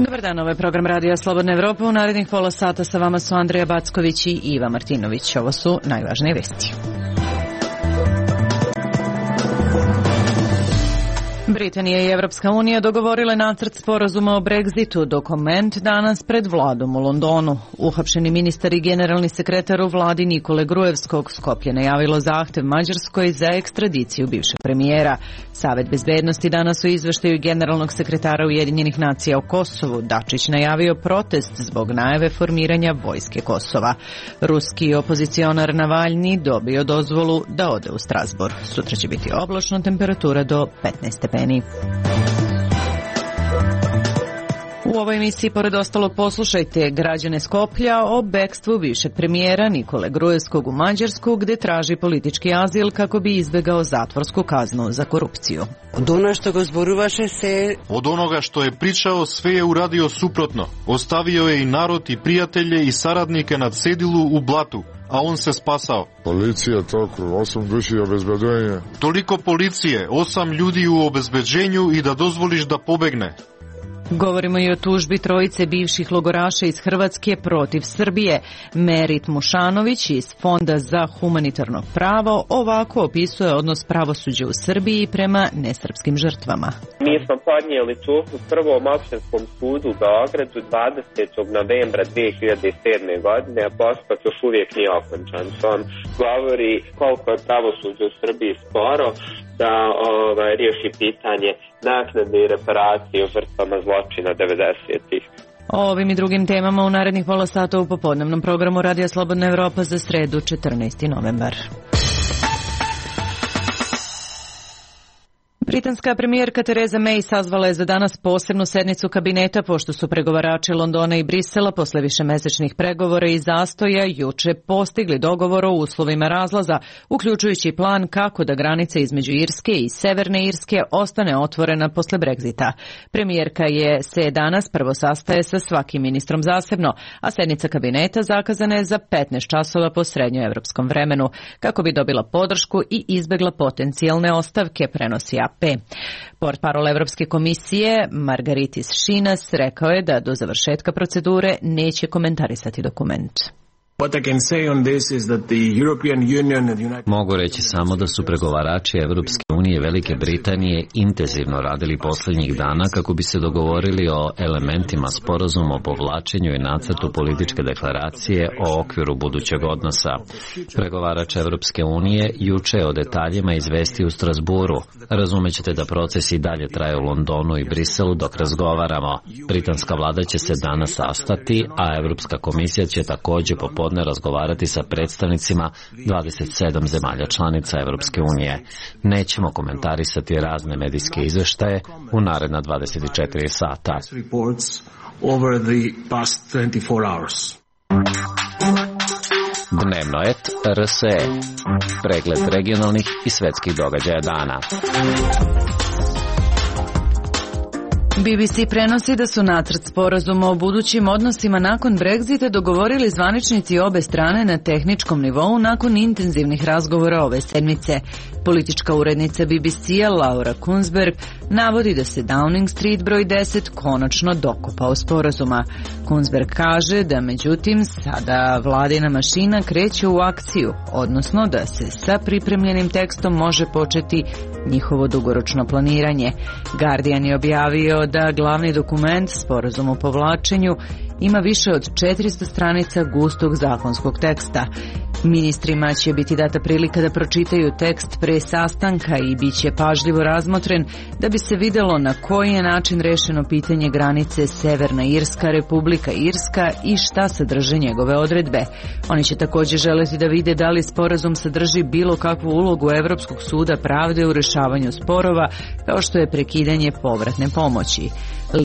Dobar dan, ovo je program Radija Slobodna Evropa. U narednih pola sata sa vama su Andreja Backović i Iva Martinović. Ovo su najvažnije vesti. Britanija i Evropska unija dogovorile nacrt sporazuma o Brexitu, dokument danas pred vladom u Londonu. Uhapšeni ministar i generalni sekretar u vladi Nikole Gruevskog Skoplje najavilo zahtev Mađarskoj za ekstradiciju bivšeg premijera. Savet bezbednosti danas u izveštaju generalnog sekretara Ujedinjenih nacija o Kosovu Dačić najavio protest zbog najave formiranja vojske Kosova. Ruski opozicionar Navalni dobio dozvolu da ode u Strasbourg. Sutra će biti oblačno, temperatura do 15 stepeni. U ovoj emisiji, pored ostalog, poslušajte građane Skoplja o bekstvu bivšeg premijera Nikole Gruevskog u Mađarsku, gde traži politički azil kako bi izbegao zatvorsku kaznu za korupciju. Od onoga što je pričao, sve je uradio suprotno. Ostavio je i narod i prijatelje i saradnike na cedilu u blatu, a on se spasao. Policija toliko, 8 duši obezbeđenja. Toliko policije, 8 ljudi u obezbeđenju i da dozvoliš da pobegne. Govorimo i o tužbi trojice bivših logoraša iz Hrvatske protiv Srbije. Merit Mušanović iz Fonda za humanitarno pravo ovako opisuje odnos pravosuđa u Srbiji prema nesrpskim žrtvama. Mi smo podnijeli tužbu Prvom opštinskom sudu u Beogradu 20. novembra 2007. godine, a postupak još uvijek nije okončan. To vam govori koliko je pravosuđe u Srbiji sporo da riješi pitanje naknade i reparacije o žrtvama zločina 90-ih. O ovim i drugim temama u narednih pola sata u popodnevnom programu Radija Slobodna Evropa za sredu 14. novembar. Britanska premijerka Theresa May sazvala je za danas posebnu sednicu kabineta pošto su pregovarači Londona i Brisela posle višemesečnih pregovora i zastoja juče postigli dogovor o uslovima razlaza, uključujući plan kako da granica između Irske i Severne Irske ostane otvorena posle Brexita. Premijerka se danas prvo sastaje sa svakim ministrom zasebno, a sednica kabineta zakazana je za 15 časova po srednjoevropskom vremenu, kako bi dobila podršku i izbegla potencijalne ostavke, prenosi AP. Portparol Evropske komisije Margaritis Šinas rekao je da do završetka procedure neće komentarisati dokument. Mogu reći samo da su pregovarači Evropske unije i Velike Britanije intenzivno radili posljednjih dana kako bi se dogovorili o elementima sporazuma o povlačenju i nacrtu političke deklaracije o okviru budućeg odnosa. Pregovarač Evropske unije juče o detaljima izvesti u Strasburu. Razumećete da proces i dalje traje u Londonu i Briselu dok razgovaramo. Britanska vlada će se danas sastati, a Evropska komisija će također popodne razgovarati sa predstavnicima 27 zemalja članica Evropske unije. Nećemo komentarisati razne medijske izveštaje u naredna 24 sata. Dnevno et RSE. Pregled regionalnih i svetskih događaja dana. BBC prenosi da su nacrt sporazuma o budućim odnosima nakon Brexita dogovorili zvaničnici obe strane na tehničkom nivou nakon intenzivnih razgovora ove sedmice. Politička urednica BBC-a Laura Kunsberg navodi da se Downing Street broj 10 konačno dokopao sporazuma. Kunsberg kaže da međutim sada vladina mašina kreće u akciju, odnosno da se sa pripremljenim tekstom može početi njihovo dugoročno planiranje. Guardian je objavio da glavni dokument, sporazum o povlačenju, ima više od 400 stranica gustog zakonskog teksta. Ministrima će biti data prilika da pročitaju tekst pre sastanka i bit će pažljivo razmotren da bi se videlo na koji je način rešeno pitanje granice Severna Irska, Republika Irska i šta sadrže njegove odredbe. Oni će također želeti da vide da li sporazum sadrži bilo kakvu ulogu Evropskog suda pravde u rešavanju sporova, kao što je prekidanje povratne pomoći.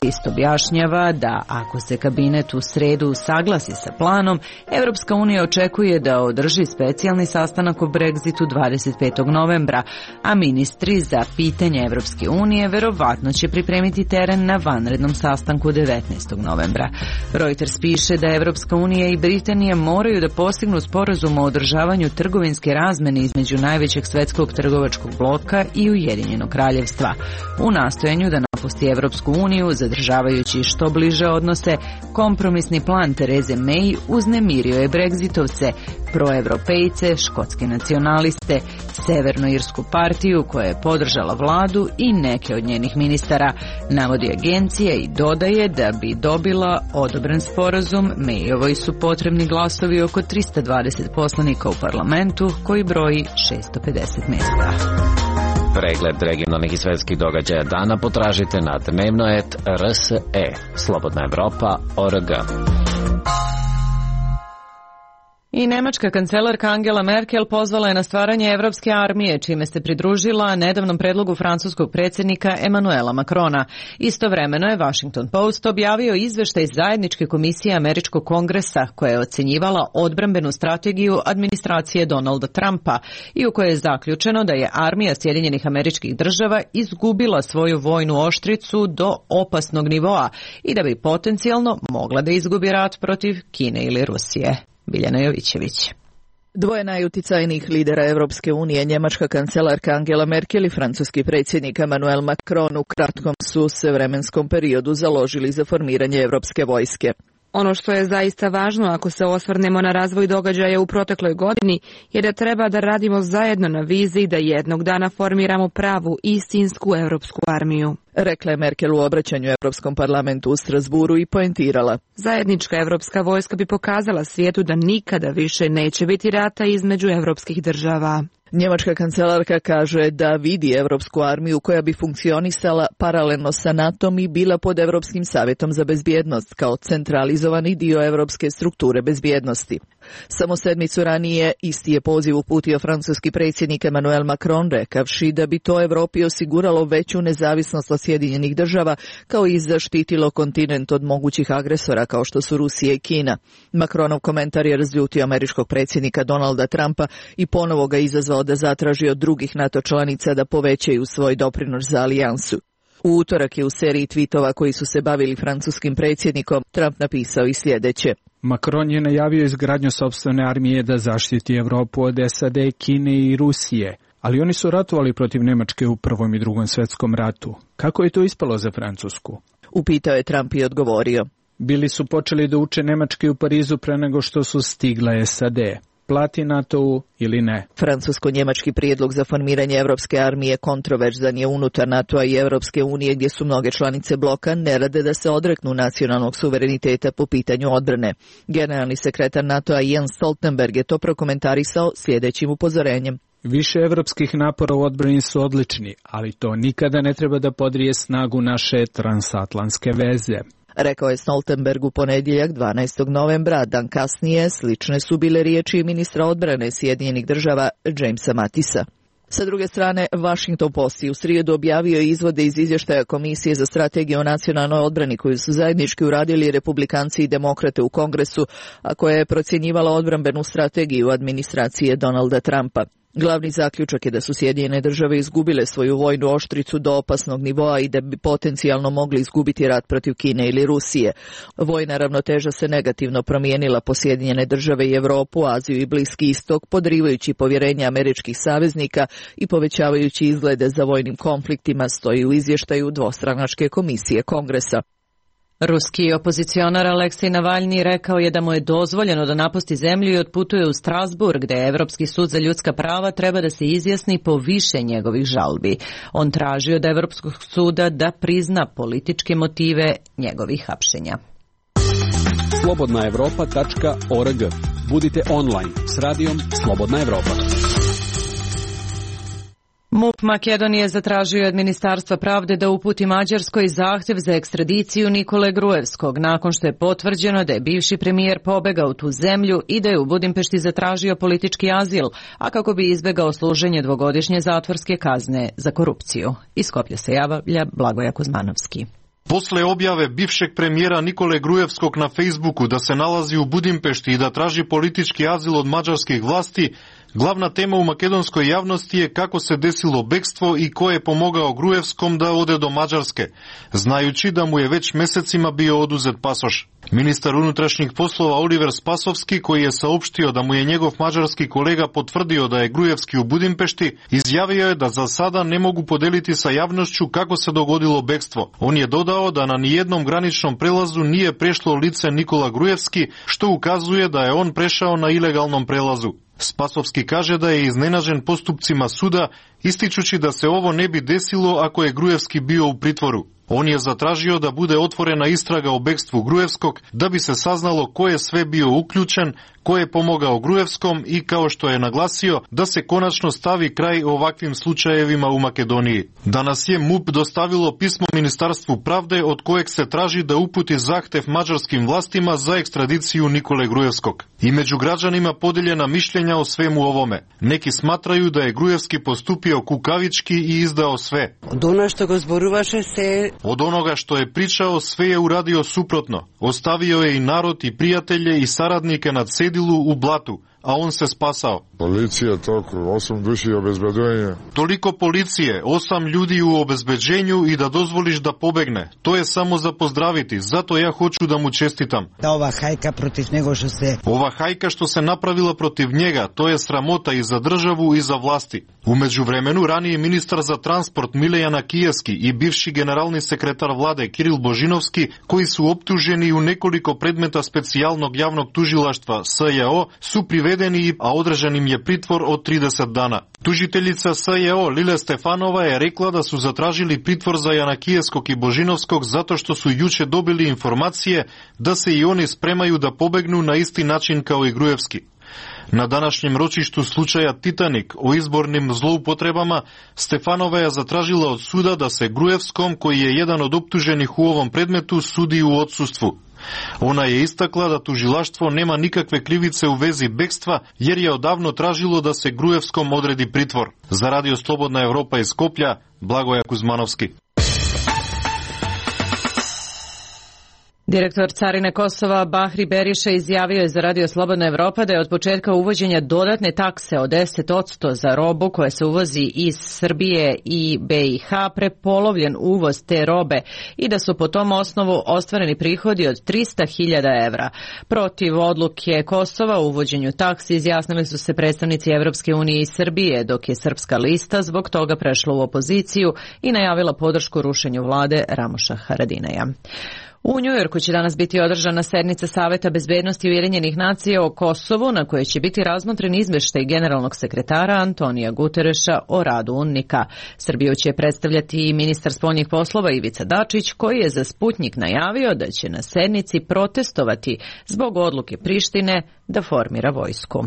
List objašnjava da ako se kabinet u sredu saglasi sa planom, Evropska unija očekuje da održi održi specijalni sastanak o Brexitu 25. novembra, a ministri za pitanje Evropske unije verovatno će pripremiti teren na vanrednom sastanku 19. novembra. Reuters piše da Evropska unija i Britanija moraju da postignu sporazum o održavanju trgovinske razmene između najvećeg svetskog trgovačkog bloka i Ujedinjenog kraljevstva. U nastojanju da napusti Evropsku uniju, zadržavajući što bliže odnose, kompromisni plan Tereze May uznemirio je Brexitovce, proevropejce, škotske nacionaliste, Severnoirsku partiju koja je podržala vladu i neke od njenih ministara, navodi agencija i dodaje da bi dobila odobren sporazum, Mayovoj su potrebni glasovi oko 320 poslanika u parlamentu koji broji 650 mesta. Pregled regionalnih i svetskih događaja dana potražite na dnevno.rs.e. Slobodna Evropa.org. I nemačka kancelarka Angela Merkel pozvala je na stvaranje Evropske armije, čime se pridružila nedavnom predlogu francuskog predsjednika Emmanuela Macrona. Istovremeno je Washington Post objavio izveštaj zajedničke komisije Američkog kongresa koja je ocenjivala odbrambenu strategiju administracije Donalda Trumpa i u kojoj je zaključeno da je armija Sjedinjenih Američkih Država izgubila svoju vojnu oštricu do opasnog nivoa i da bi potencijalno mogla da izgubi rat protiv Kine ili Rusije. Biljana Jovićević. Dvoje najuticajnijih lidera Evropske unije, njemačka kancelarka Angela Merkel i francuski predsjednik Emmanuel Macron u kratkom su se vremenskom periodu založili za formiranje Evropske vojske. Ono što je zaista važno ako se osvrnemo na razvoj događaja u protekloj godini je da treba da radimo zajedno na viziji da jednog dana formiramo pravu, istinsku evropsku armiju. Rekla je Merkel u obraćanju Europskom parlamentu u Strasburu i poentirala. Zajednička evropska vojska bi pokazala svijetu da nikada više neće biti rata između evropskih država. Njemačka kancelarka kaže da vidi Evropsku armiju koja bi funkcionisala paralelno sa NATO-om i bila pod Evropskim savjetom za bezbjednost kao centralizovani dio evropske strukture bezbjednosti. Samo sedmicu ranije isti je poziv uputio francuski predsjednik Emmanuel Macron, rekavši da bi to Evropi osiguralo veću nezavisnost od Sjedinjenih država kao i zaštitilo kontinent od mogućih agresora kao što su Rusija i Kina. Macronov komentar je razljutio američkog predsjednika Donalda Trumpa i ponovo ga izazvao da zatraži od drugih NATO članica da povećaju svoj doprinos za alijansu. U utorak je u seriji tweetova koji su se bavili francuskim predsjednikom Trump napisao i sljedeće. Macron je najavio izgradnju sopstvene armije da zaštiti Evropu od SAD, Kine i Rusije, ali oni su ratovali protiv Nemačke u Prvom i Drugom svjetskom ratu. Kako je to ispalo za Francusku? Upitao je Trump i odgovorio. Bili su počeli da uče nemački u Parizu pre nego što su stigla SAD. Plati NATO-u ili ne. Francusko-njemački prijedlog za formiranje Evropske armije kontroverzan je unutar NATO-a i Evropske unije gdje su mnoge članice bloka ne rade da se odreknu nacionalnog suvereniteta po pitanju odbrane. Generalni sekretar NATO-a Jens Stoltenberg je to prokomentarisao sljedećim upozorenjem. Više evropskih napora u odbrani su odlični, ali to nikada ne treba da podrije snagu naše transatlantske veze. Rekao je Stoltenberg u ponedjeljak 12. novembra, dan kasnije slične su bile riječi ministra odbrane Sjedinjenih država Jamesa Mattisa. Sa druge strane, Washington Post u srijedu objavio izvode iz izvještaja Komisije za strategiju o nacionalnoj odbrani koju su zajednički uradili Republikanci i Demokrate u Kongresu, a koja je procjenjivala odbrambenu strategiju administracije Donalda Trumpa. Glavni zaključak je da su Sjedinjene države izgubile svoju vojnu oštricu do opasnog nivoa i da bi potencijalno mogli izgubiti rat protiv Kine ili Rusije. Vojna ravnoteža se negativno promijenila po Sjedinjene države i Europu, Aziju i Bliski istok, podrivajući povjerenje američkih saveznika i povećavajući izglede za vojnim konfliktima, stoji u izvještaju dvostranačke komisije Kongresa. Ruski opozicionar Aleksej Navalni rekao je da mu je dozvoljeno da napusti zemlju i otputuje u Strasburg, gdje Evropski sud za ljudska prava treba da se izjasni po više njegovih žalbi. On traži od Evropskog suda da prizna političke motive njegovih hapšenja. Slobodnaevropa.org. Budite online s radijom Slobodna Evropa. MUP Makedonije zatražio od Ministarstva pravde da uputi Mađarskoj zahtjev za ekstradiciju Nikole Gruevskog, nakon što je potvrđeno da je bivši premijer pobegao u tu zemlju i da je u Budimpešti zatražio politički azil, a kako bi izbegao služenje dvogodišnje zatvorske kazne za korupciju. Iz Skoplja se javlja Blagoja Kuzmanovski. Posle objave bivšeg premijera Nikole Grujevskog na Facebooku da se nalazi u Budimpešti i da traži politički azil od mađarskih vlasti, glavna tema u makedonskoj javnosti je kako se desilo bekstvo i ko je pomogao Grujevskom da ode do Mađarske, znajući da mu je već mesecima bio oduzet pasoš. Ministar unutrašnjih poslova Oliver Spasovski, koji je saopštio da mu je njegov mađarski kolega potvrdio da je Grujevski u Budimpešti, izjavio je da za sada ne mogu podeliti sa javnošću kako se dogodilo bekstvo. On je dodao da na nijednom graničnom prelazu nije prešlo lice Nikola Grujevski, što ukazuje da je on prešao na ilegalnom prelazu. Spasovski kaže da je iznenađen postupcima suda, ističući da se ovo ne bi desilo ako je Grujevski bio u pritvoru. On je zatražio da bude otvorena istraga o bekstvu Grujevskog, da bi se saznalo ko je sve bio uključen, ko je pomogao Grujevskom i, kao što je naglasio, da se konačno stavi kraj ovakvim slučajevima u Makedoniji. Danas je MUP dostavilo pismo Ministarstvu pravde od kojeg se traži da uputi zahtev mađarskim vlastima za ekstradiciju Nikole Grujevskog. I među građanima podeljena mišljenja o svemu ovome. Neki smatraju da je Grujevski postupio kukavički i izdao sve. Od onoga što je pričao, sve je uradio suprotno. Ostavio je i narod i prijatelje i saradnike na cedilu u blatu, a on se spasao. Policija toliko, 8 duši obezbeđenja. Toliko policije, 8 ljudi u obezbeđenju i da dozvoliš da pobegne. To je samo za pozdraviti, zato ja hoću da mu čestitam. Ova hajka protiv njega što se... Ova hajka što se napravila protiv njega, to je sramota i za državu i za vlasti. U međuvremenu, raniji ministar za transport Milejan Kijevski i bivši generalni sekretar vlade Kiril Božinovski, koji su optuženi u nekoliko predmeta specijalnog javnog tužilaštva SJO, su privedeni, a održan im je pritvor od 30 dana. Tužiteljica SJO Lile Stefanova je rekla da su zatražili pritvor za Janakijevskog i Božinovskog zato što su juče dobili informacije da se i oni spremaju da pobegnu na isti način kao i Grujevski. Na današnjem ročištu slučaja Titanik o izbornim zloupotrebama, Stefanova je zatražila od suda da se Grujevskom, koji je jedan od optuženih u ovom predmetu, sudi u odsustvu. Ona je istakla da tužilaštvo nema nikakve krivice u vezi bekstva, jer je odavno tražilo da se Grujevskom odredi pritvor. Za Radio Slobodna Evropa iz Skoplja, Blagoja Kuzmanovski. Direktor Carine Kosova Bahri Beriša izjavio je za Radio Slobodna Evropa da je od početka uvođenja dodatne takse od 10% za robu koja se uvozi iz Srbije i BiH prepolovljen uvoz te robe i da su po tom osnovu ostvareni prihodi od 300.000 evra. Protiv odluke Kosova o uvođenju taksi izjasnili su se predstavnici Evropske unije i Srbije, dok je Srpska lista zbog toga prešla u opoziciju i najavila podršku rušenju vlade Ramoša Haradinaja. U Njujorku će danas biti održana sednica Saveta bezbednosti Ujedinjenih nacija o Kosovu, na kojoj će biti razmotren izveštaj generalnog sekretara Antonija Gutereša o radu UNMIK-a. Srbiju će predstavljati i ministar spoljnih poslova Ivica Dačić, koji je za Sputnjik najavio da će na sednici protestovati zbog odluke Prištine da formira vojsku.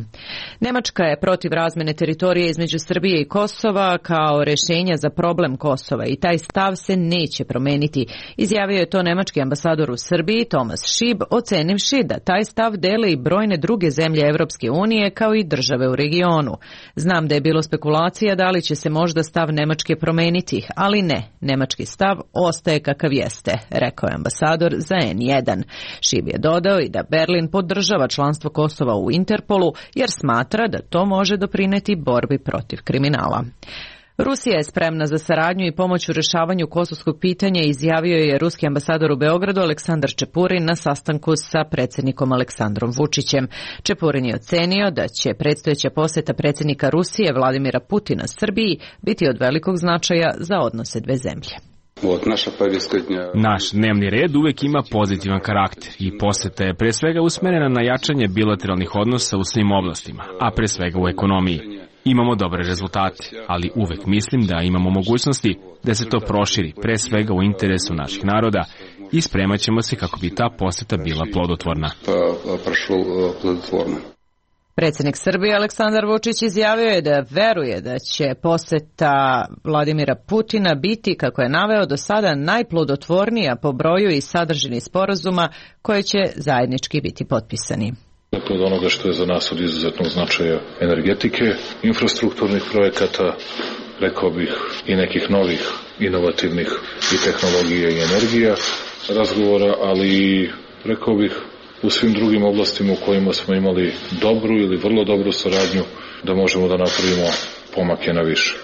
Nemačka je protiv razmene teritorije između Srbije i Kosova kao rešenja za problem Kosova i taj stav se neće promeniti. Izjavio je to nemački ambasador u Srbiji Tomas Šib, ocenivši da taj stav dele i brojne druge zemlje Evropske unije kao i države u regionu. Znam da je bilo spekulacija da li će se možda stav Nemačke promeniti, ali ne, nemački stav ostaje kakav jeste, rekao je ambasador za N1. Šib je dodao i da Berlin podržava članstvo Kosova u Interpolu jer smatra da to može doprineti borbi protiv kriminala. Rusija je spremna za saradnju i pomoć u rešavanju kosovskog pitanja, izjavio je ruski ambasador u Beogradu Aleksandar Čepurin na sastanku sa predsjednikom Aleksandrom Vučićem. Čepurin je ocenio da će predstojeća poseta predsjednika Rusije Vladimira Putina Srbiji biti od velikog značaja za odnose dve zemlje. Naš dnevni red uvek ima pozitivan karakter i poseta je pre svega usmerena na jačanje bilateralnih odnosa u svim oblastima, a pre svega u ekonomiji. Imamo dobre rezultate, ali uvek mislim da imamo mogućnosti da se to proširi, pre svega u interesu naših naroda, i spremat ćemo se kako bi ta poseta bila plodotvorna. Predsjednik Srbije Aleksandar Vučić izjavio je da veruje da će poseta Vladimira Putina biti, kako je naveo, do sada najplodotvornija po broju i sadržini sporazuma koje će zajednički biti potpisani. Od onoga što je za nas od izuzetnog značaja energetike, infrastrukturnih projekata, rekao bih i nekih novih inovativnih i tehnologija i energija razgovora, ali rekao bih u svim drugim oblastima u kojima smo imali dobru ili vrlo dobru saradnju da možemo da napravimo pomake na više.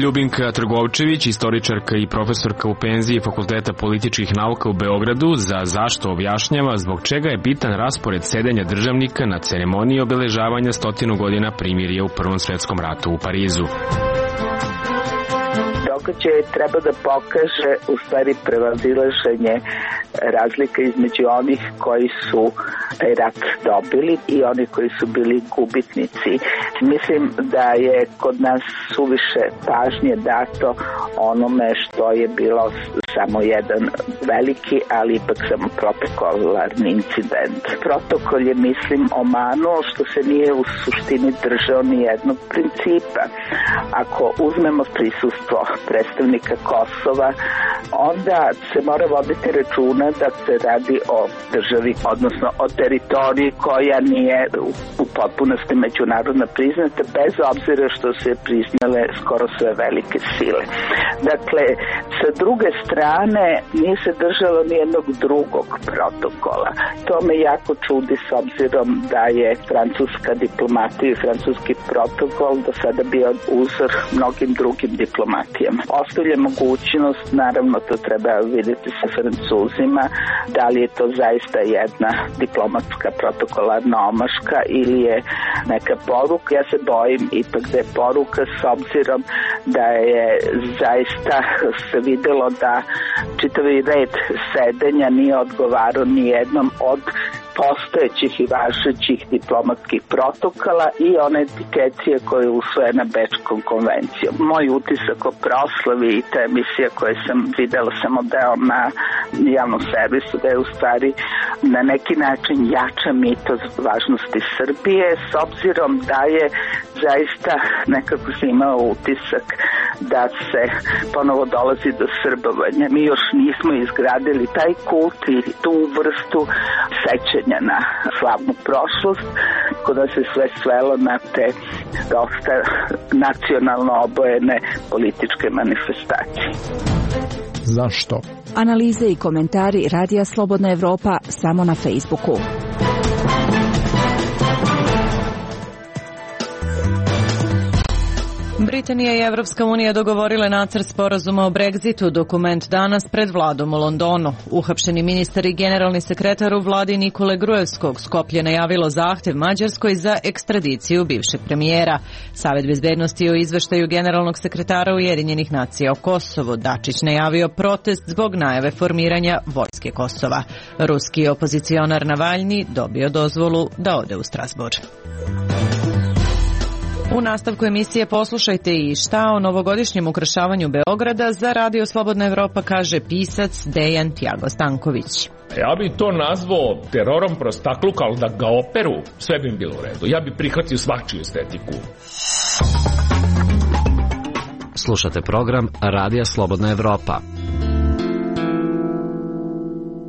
Ljubinka Trgovčević, istoričarka i profesorka u penziji Fakulteta političkih nauka u Beogradu, za Zašto objašnjava zbog čega je bitan raspored sedenja državnika na ceremoniji obeležavanja 100 godina primirja u Prvom svetskom ratu u Parizu. Događaj treba da pokaže u stvari prevazilaženje razlika između onih koji su taj rat dobili i oni koji su bili gubitnici. Mislim da je kod nas suviše pažnje dato onome što je bilo samo jedan veliki, ali ipak samo protokolarni incident. Protokol je, mislim, omanuo što se nije u suštini držao ni jednog principa. Ako uzmemo prisustvo predstavnika Kosova, onda se mora voditi računa da se radi o državi, odnosno o teritoriji koja nije u potpunosti međunarodno priznata, bez obzira što se priznale skoro sve velike sile. Dakle, sa druge strane nije se držalo nijednog drugog protokola. To me jako čudi s obzirom da je francuska diplomatija i francuski protokol do sada bio uzor mnogim drugim diplomatijama. Ostavlja mogućnost, naravno to treba vidjeti sa Francuzima, da li je to zaista jedna diplomatska protokolarna omaška ili je neka poruka. Ja se bojim ipak da je poruka, s obzirom da je zaista se videlo da čitavi red sedenja nije odgovarao ni jednom od postojećih i važećih diplomatskih protokola i one etikecije koje je usvojena Bečkom konvencijom. Moj utisak o proslavi i ta emisija koje sam videla samo deo na javnom servisu, da je u stvari na neki način jača mitos važnosti Srbije, s obzirom da je zaista nekako se imao utisak da se ponovo dolazi do srbovanja. Mi još nismo izgradili taj kult i tu vrstu sećanja na slavnu prošlost, kod da se sve svelo na te dosta nacionalno obojene političke manifestacije. Zašto? Analize i komentari Radija Slobodna Evropa samo na Facebooku. Britanija i Evropska unija dogovorile nacrt sporazuma o Brexitu, dokument danas pred vladom u Londonu. Uhapšeni ministar i generalni sekretar u vladi Nikole Gruevskog Skoplje najavilo zahtev Mađarskoj za ekstradiciju bivšeg premijera. Savet bezbednosti o izveštaju generalnog sekretara Ujedinjenih nacija o Kosovu. Dačić najavio protest zbog najave formiranja vojske Kosova. Ruski opozicionar Navalni dobio dozvolu da ode u Strasbourg. U nastavku emisije poslušajte i šta o novogodišnjem ukrašavanju Beograda za Radio Slobodna Evropa kaže pisac Dejan Tjago Stanković. Ja bi to nazvao terorom prostakluka, ali da ga operu, sve bi im bilo u redu. Ja bi prihvatio svačiju estetiku. Slušate program Radija Slobodna Evropa.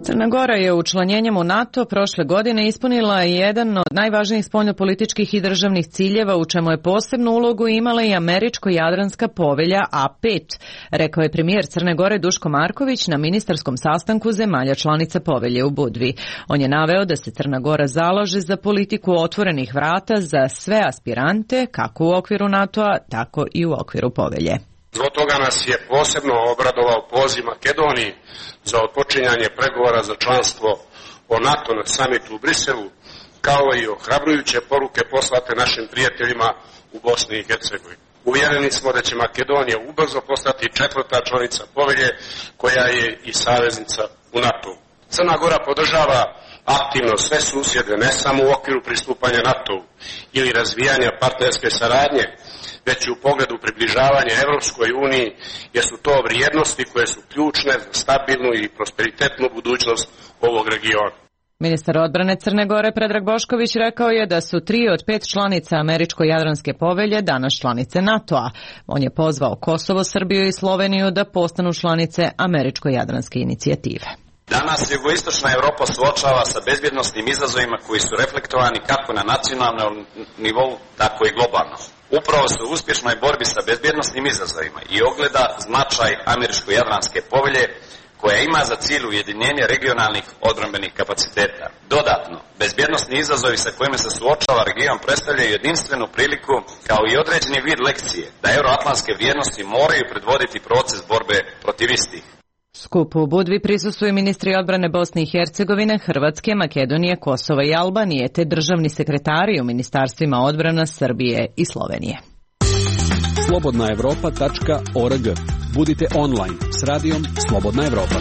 Crna Gora je učlanjenjem u NATO prošle godine ispunila jedan od najvažnijih spoljnopolitičkih i državnih ciljeva, u čemu je posebnu ulogu imala i Američko-Jadranska povelja A5, rekao je premijer Crne Gore Duško Marković na ministarskom sastanku zemalja članica povelje u Budvi. On je naveo da se Crna Gora zalaže za politiku otvorenih vrata za sve aspirante, kako u okviru NATO-a, tako i u okviru povelje. Zbog toga nas je posebno obradovao poziv Makedoniji za otpočinjanje pregovora za članstvo o NATO na samitu u Briselu, kao i ohrabrujuće poruke poslate našim prijateljima u Bosni i Hercegovini. Uvjereni smo da će Makedonija ubrzo postati četvrta članica povelje, koja je i saveznica u NATO. Crna Gora podržava aktivno sve susjede, ne samo u okviru pristupanja NATO ili razvijanja partnerske saradnje, već i u pogledu približavanja Evropskoj uniji, jer su to vrijednosti koje su ključne za stabilnu i prosperitetnu budućnost ovog regiona. Ministar odbrane Crne Gore Predrag Bošković rekao je da su 3 od 5 članica Američko-Jadranske povelje danas članice NATO-a. On je pozvao Kosovo, Srbiju i Sloveniju da postanu članice Američko-Jadranske inicijative. Danas jugoistočna Evropa suočava sa bezbjednosnim izazovima koji su reflektovani kako na nacionalnom nivou, tako i globalno. upravo se u uspješnoj borbi sa bezbjednosnim izazovima i ogleda značaj Američko-Jadranske povelje koja ima za cilj ujedinjenje regionalnih odbrambenih kapaciteta. Dodatno, bezbjednosni izazovi sa kojima se suočava region predstavljaju jedinstvenu priliku kao i određeni vid lekcije da euroatlantske vrijednosti moraju predvoditi proces borbe protiv istih. Skupu u Budvi prisustvuju ministri odbrane Bosne i Hercegovine, Hrvatske, Makedonije, Kosova i Albanije, te državni sekretari u ministarstvima odbrana Srbije i Slovenije. Slobodnaevropa.org. Budite online s radijom Slobodna Evropa.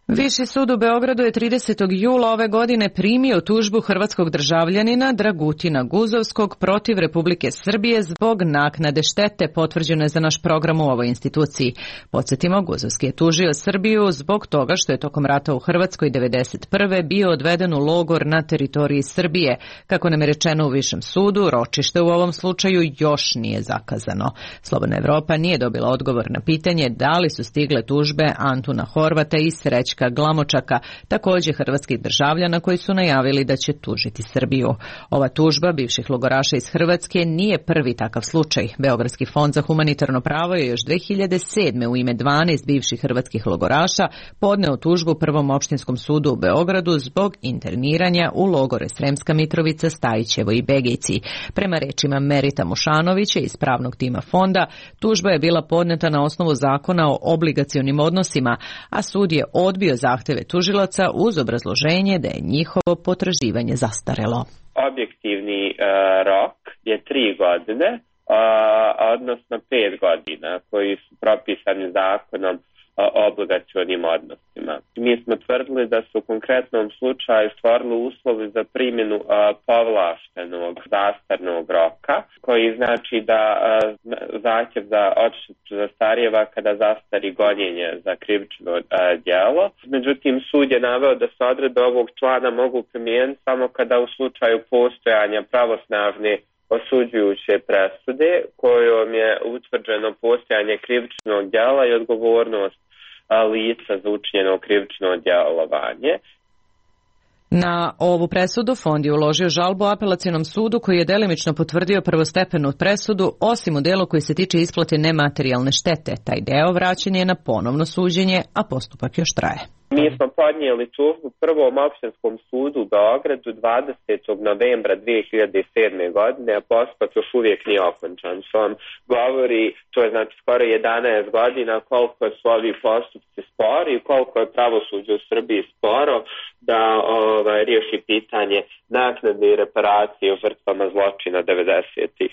Viši sud u Beogradu je 30. jula ove godine primio tužbu hrvatskog državljanina Dragutina Guzovskog protiv Republike Srbije zbog naknade štete, potvrđeno je za naš program u ovoj instituciji. Podsjetimo, Guzovski je tužio Srbiju zbog toga što je tokom rata u Hrvatskoj 1991. bio odveden u logor na teritoriji Srbije. Kako nam je rečeno u Višem sudu, ročište u ovom slučaju još nije zakazano. Slobodna Evropa nije dobila odgovor na pitanje da li su stigle tužbe Antuna Horvata i Srećka Glamočaka, također hrvatskih državljana koji su najavili da će tužiti Srbiju. Ova tužba bivših logoraša iz Hrvatske nije prvi takav slučaj. Beogradski fond za humanitarno pravo je još 2007. u ime 12 bivših hrvatskih logoraša podneo tužbu Prvom opštinskom sudu u Beogradu zbog interniranja u logore Sremska Mitrovica, Stajićevo i Begejci. Prema rečima Merita Mušanovića iz pravnog tima fonda, tužba je bila podneta na osnovu zakona o obligacionim odnosima, a sud je odbio zahteve tužilaca uz obrazloženje da je njihovo potraživanje zastarelo. Objektivni rok je 3 godine, odnosno 5 godina koji su propisani zakonom o obligacionim odnosima. Mi smo tvrdili da su u konkretnom slučaju stvorili uslovi za primjenu povlaštenog zastarnog roka, koji znači da zahtjev za odštetu zastarijeva kada zastari gonjenje za krivično djelo. Međutim, sud je naveo da se odredbe ovog člana mogu primijeniti samo kada u slučaju postojanja pravosnažne osuđujuće presude kojom je utvrđeno postojanje krivičnog djela i odgovornost lica za učinjeno krivično djelovanje. Na ovu presudu fond je uložio žalbu apelacionom sudu koji je delimično potvrdio prvostepenu presudu, osim u delu koji se tiče isplate nematerijalne štete. Taj deo vraćen je na ponovno suđenje, a postupak još traje. Mi smo podnijeli tužbu Prvom opštinskom sudu u Beogradu 20. novembra 2007. godine, a postupak još uvijek nije okončan. Što vam govori, to je znači skoro 11 godina, koliko su ovi postupci spori i koliko je pravosuđe u Srbiji sporo da riješi pitanje naknade i reparacije u žrtvama zločina 90-ih.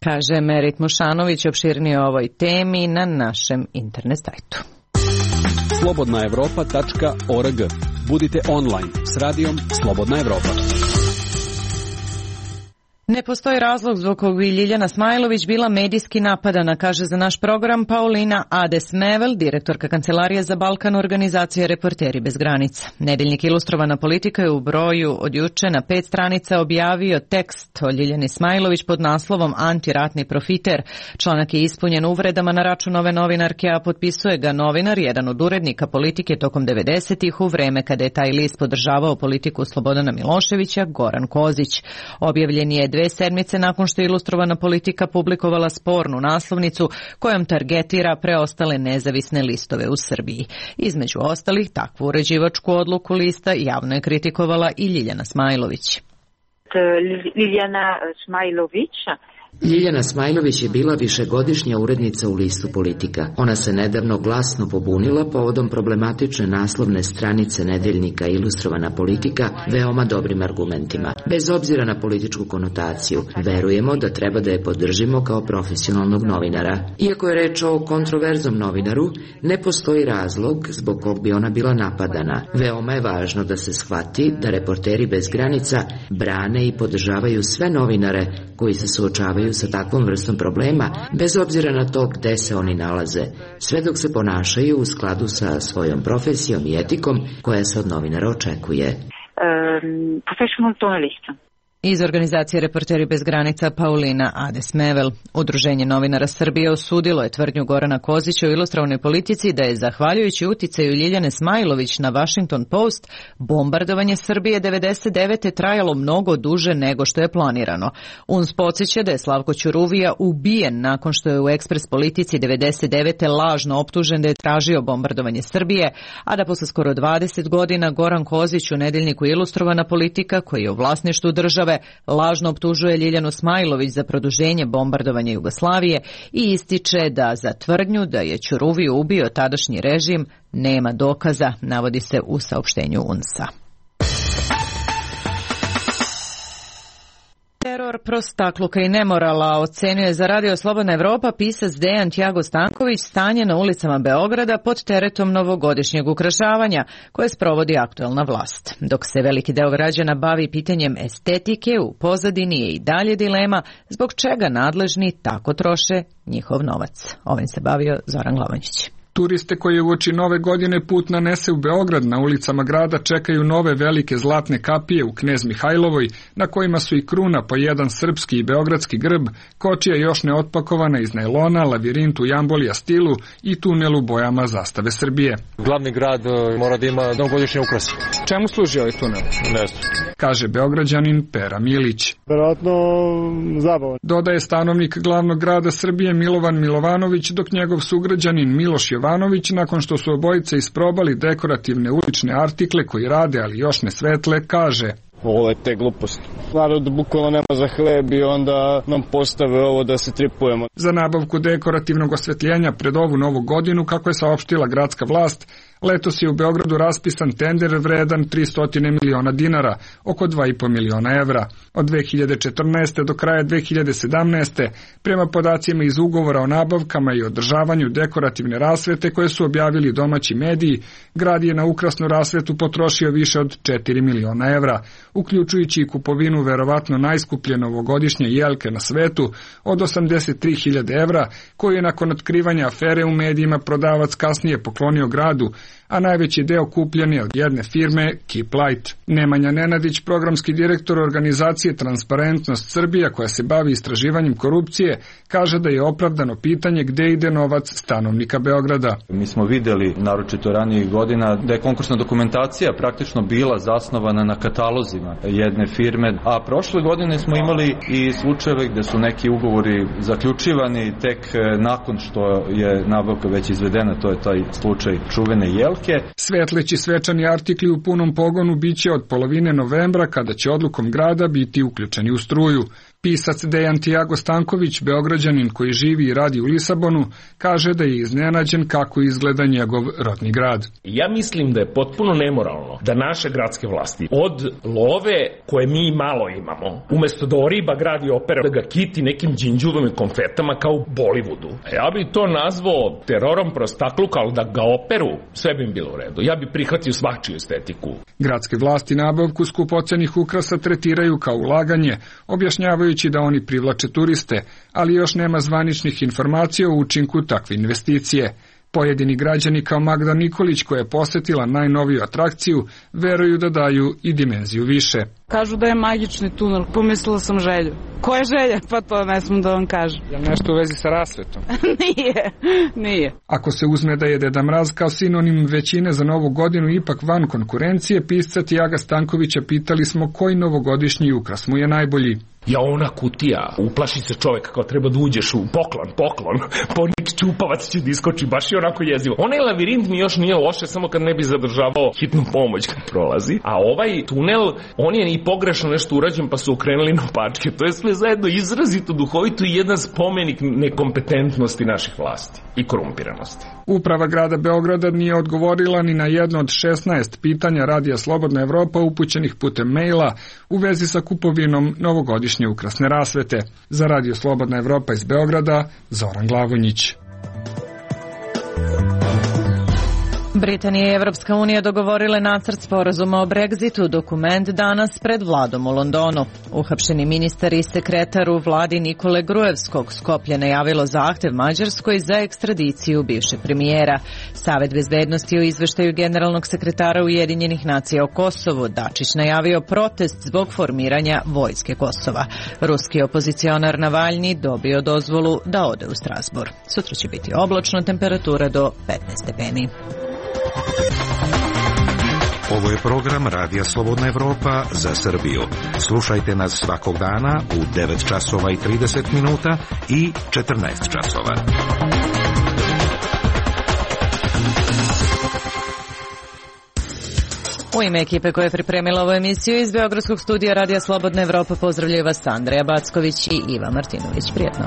Kaže Merit Mušanović, opširnije o ovoj temi na našem internet sajtu. Slobodnaevropa.org. Budite online s radijom Slobodna Evropa. Ne postoji razlog zbog kog bi Ljiljana Smajlović bila medijski napadana, kaže za naš program Paulina Ades-Mevel, direktorka Kancelarije za Balkan organizacije Reporteri bez granica. Nedeljnik Ilustrovana politika je u broju od juče na 5 stranica objavio tekst o Ljiljani Smajlović pod naslovom Antiratni profiter. Članak je ispunjen uvredama na račun ove novinarke, a potpisuje ga novinar, jedan od urednika politike tokom 90-ih u vreme kada je taj list podržavao politiku Slobodana Miloševića, Goran Kozić. Objavljen je 2 sedmice nakon što je Ilustrovana politika publikovala spornu naslovnicu kojom targetira preostale nezavisne listove u Srbiji. Između ostalih, takvu uređivačku odluku lista javno je kritikovala i Ljiljana Smajlović. Ljiljana Smajlović je bila višegodišnja urednica u listu Politika. Ona se nedavno glasno pobunila povodom problematične naslovne stranice nedeljnika Ilustrovana politika veoma dobrim argumentima. Bez obzira na političku konotaciju, verujemo da treba da je podržimo kao profesionalnog novinara. Iako je reč o kontroverznom novinaru, ne postoji razlog zbog kog bi ona bila napadana. Veoma je važno da se shvati da Reporteri bez granica brane i podržavaju sve novinare koji se suočavaju sa takvom vrstom problema, bez obzira na to gde se oni nalaze, sve dok se ponašaju u skladu sa svojom profesijom i etikom koja se od novinara očekuje. Professional journalist. Iz organizacije Reporteri bez granica Paulina Adesmevel. Udruženje novinara Srbije osudilo je tvrdnju Gorana Kozića u Ilustrovanoj politici da je zahvaljujući uticaju Ljiljane Smajlović na Washington Post bombardovanje Srbije 99. trajalo mnogo duže nego što je planirano. UNS podsjeća da je Slavko Ćuruvija ubijen nakon što je u Ekspres politici 99. lažno optužen da je tražio bombardovanje Srbije, a da posle skoro 20 godina Goran Kozić u nedeljniku Ilustrovana politika, koji je u vlasništvu države, lažno optužuje Ljiljanu Smajlović za produženje bombardovanja Jugoslavije i ističe da za tvrdnju da je Ćuruviju ubio tadašnji režim nema dokaza, navodi se u saopštenju UNS-a. Teror, prostakluka i nemorala ocenjuje za Radio Slobodna Evropa pisac Dejan Tjago Stanković stanje na ulicama Beograda pod teretom novogodišnjeg ukrašavanja koje sprovodi aktuelna vlast. Dok se veliki deo građana bavi pitanjem estetike, u pozadini je i dalje dilema zbog čega nadležni tako troše njihov novac. Ovim se bavio Zoran Glavonjić. Turiste koji uoči nove godine put nanese u Beograd na ulicama grada čekaju nove velike zlatne kapije u Knez Mihajlovoj, na kojima su i kruna po jedan srpski i beogradski grb, kočija još neotpakovana iz najlona, lavirint u jambolija stilu i tunel u bojama zastave Srbije. Glavni grad mora da ima novogodišnje ukrase. Čemu služi ovaj tunel? Ne znam. Kaže Beograđanin Pera Milić. Verovatno zabavan. Dodaje stanovnik glavnog grada Srbije Milovan Milovanović, dok njegov sugrađanin Miloš Jovanović, nakon što su obojice isprobali dekorativne ulične artikle koji rade, ali još ne svetle, kaže: Ovo je te gluposti. Narod bukvalno nema za hleb i onda nam postave ovo da se tripujemo. Za nabavku dekorativnog osvetljenja pred ovu novu godinu, kako je saopštila gradska vlast, letos je u Beogradu raspisan tender vredan 300 miliona dinara, oko 2,5 miliona evra. Od 2014. do kraja 2017. prema podacima iz ugovora o nabavkama i održavanju dekorativne rasvete koje su objavili domaći mediji, grad je na ukrasnu rasvetu potrošio više od 4 miliona evra, uključujući i kupovinu verovatno najskuplje novogodišnje jelke na svetu od 83.000 evra, koju je nakon otkrivanja afere u medijima prodavac kasnije poklonio gradu, a najveći deo kupljen je od jedne firme Keep Light. Nemanja Nenadić, programski direktor organizacije Transparentnost Srbija, koja se bavi istraživanjem korupcije, kaže da je opravdano pitanje gde ide novac stanovnika Beograda. Mi smo videli, naročito ranijih godina, da je konkursna dokumentacija praktično bila zasnovana na katalozima jedne firme, a prošle godine smo imali i slučajeve gde su neki ugovori zaključivani tek nakon što je nabavka već izvedena, to je taj slučaj čuvene jelke. Svetleći svečani artikli u punom pogonu biće od polovine novembra, kada će odlukom grada biti uključeni u struju. Pisac Dejan Tjago Stanković, Beograđanin koji živi i radi u Lisabonu, kaže da je iznenađen kako izgleda njegov rodni grad. Ja mislim da je potpuno nemoralno da naše gradske vlasti od love koje mi malo imamo, umesto da oriba gradi opera, da ga kiti nekim đinđuvom i konfetama kao u Bollywoodu. Ja bi to nazvao terorom prostakluka, ali da ga operu, sve bi im bilo u redu. Ja bi prihvatio svačiju estetiku. Gradske vlasti nabavku skupocenih ukrasa tretiraju kao ulaganje, objašnjavaju da oni privlače turiste, ali još nema zvaničnih informacija o učinku takve investicije. Pojedini građani kao Magda Nikolić, koja je posetila najnoviju atrakciju, veruju da daju i dimenziju više. Kažu da je magični tunel, pomislila sam Želju. Ko je Želja? Pa to ne smijem da vam kažem. Je nešto u vezi sa rasvetom? Nije. Ako se uzme da je Deda Mraz kao sinonim većine za novu godinu ipak van konkurencije, pisca Tjaga Stankovića pitali smo koji novogodišnji ukras mu je najbolji. Ja, ona kutija, uplaši se čovjek kao treba da uđeš u poklon, ponik čupavac će da iskoči, baš je onako jezivo. Onaj lavirint mi još nije loše, samo kad ne bi zadržavao hitnu pomoć kad prolazi, a ovaj tunel, on je i pogrešno nešto urađen pa su okrenuli na opačke. To je sve zajedno izrazito duhovito i jedan spomenik nekompetentnosti naših vlasti i korumpiranosti. Uprava grada Beograda nije odgovorila ni na jedno od 16 pitanja Radija Slobodna Evropa upućenih putem maila u vezi sa kupovinom novogodišnje ukrasne rasvete. Za Radio Slobodna Evropa iz Beograda, Zoran Glavonjić. Britanija i Evropska unija dogovorile nacrt sporazuma o Brexitu, dokument danas pred vladom u Londonu. Uhapšeni ministar i sekretar u vladi Nikole Gruevskog Skoplje najavilo zahtev Mađarskoj za ekstradiciju bivšeg premijera. Savet bezbednosti u izveštaju generalnog sekretara Ujedinjenih nacija o Kosovu Dačić najavio protest zbog formiranja vojske Kosova. Ruski opozicionar Navalni dobio dozvolu da ode u Strasbourg. Sutra će biti oblačno, temperatura do 15 stepeni. Ovo je program Radija Slobodna Evropa za Srbiju. Slušajte nas svakog dana u 9 časova i 30 minuta i 14 časova. U ime ekipe koja je pripremila ovu emisiju iz Beogradskog studija Radija Slobodna Evropa pozdravljaju vas Andreja Backović i Iva Martinović. Prijetno.